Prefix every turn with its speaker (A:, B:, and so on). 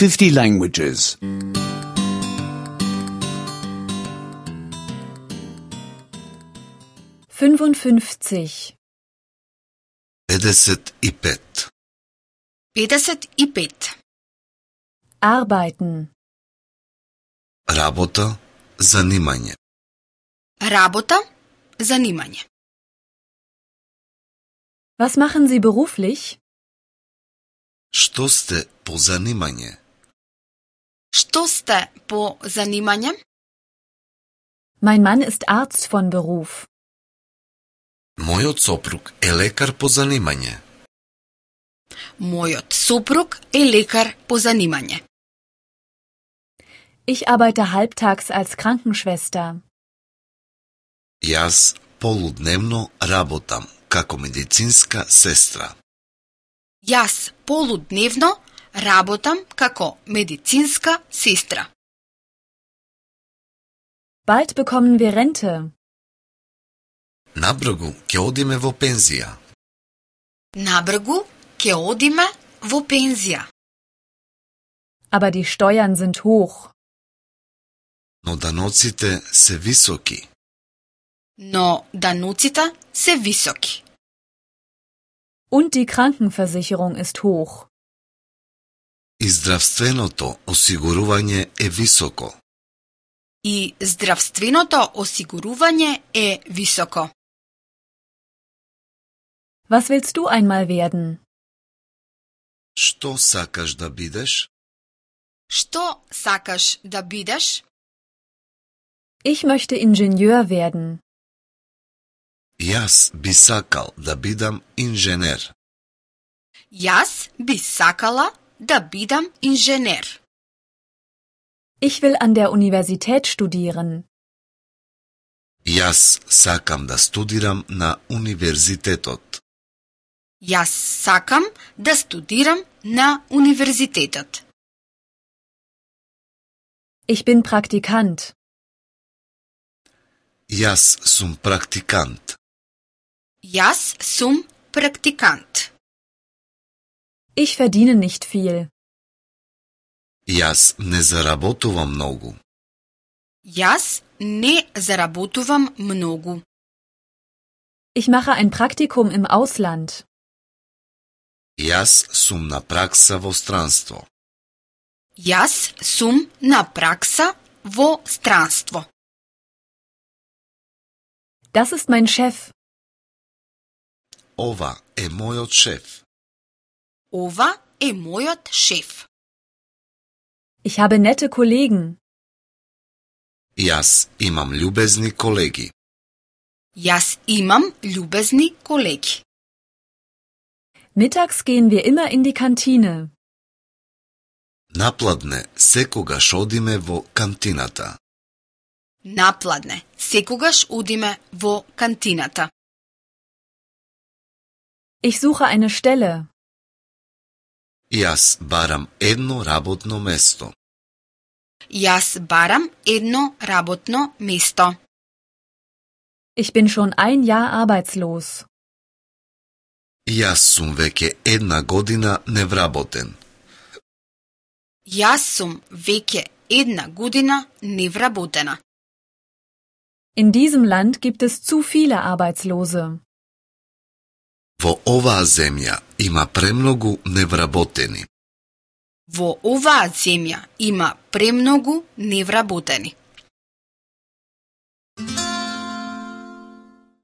A: 50 languages.
B: 55.
C: 55.
D: 55.
B: Arbeiten.
C: Работа, занимање.
D: Работа, занимање.
B: Was machen Sie beruflich?
C: Што сте по занимање?
D: Што сте по занимање?
B: Mein Mann ist Arzt von Beruf.
C: Мојот сопруг е лекар по занимање.
D: Мојот супруг е лекар по занимање.
B: Ich arbeite halbtags als Krankenschwester.
C: Јас полудневно работам како медицинска сестра.
D: Јас полудневно работам како медицинска сестра.
B: Bald bekommen wir Rente.
C: Набргу ќе одиме во пензија.
D: Набргу ќе одиме во пензија.
B: Aber die Steuern sind hoch.
C: Но даноците се високи.
D: Но дануците се високи.
B: Und die Krankenversicherung ist hoch.
C: И здравственото осигурување е високо.
D: И здравственото осигурување е високо.
B: Was willst du einmal werden?
C: Што сакаш да бидеш?
D: Што сакаш да бидеш?
B: Ich möchte Ingenieur werden.
C: Јас би сакал да бидам инженер.
D: Јас би сакала да бидам инженер.
B: Ich will an der Universität studieren.
C: Јас сакам да студирам на универзитетот.
D: Јас сакам да студирам на универзитетот.
B: Ich bin Praktikant.
C: Јас сум практикант.
D: Јас сум практикант.
B: Ich verdiene nicht viel.
C: Јас не заработувам многу.
D: Јас не заработувам многу.
B: Ich mache ein Praktikum im Ausland.
C: Јас сум на пракса во странство.
D: Јас сум на пракса во странство.
B: Das ist mein Chef.
C: Ова е мојот шеф.
D: Ова е мојот шеф.
B: Ich habe nette Kollegen.
C: Јас имам љубезни колеги.
D: Јас имам љубезни колеги.
B: Mittags gehen wir immer in die Kantine.
C: Напладне секогаш одиме во кантината.
D: Напладне секогаш одиме во кантината.
B: Ich suche eine Stelle.
C: Јас барам едно работно место.
D: Јас барам едно работно место.
B: Ich bin schon ein Jahr arbeitslos.
C: Јас сум веќе една година невработен.
D: Јас сум веќе една година невработена.
B: In diesem Land gibt es zu viele Arbeitslose.
C: Во оваа земја има премногу невработени.
D: Во оваа земја има премногу невработени.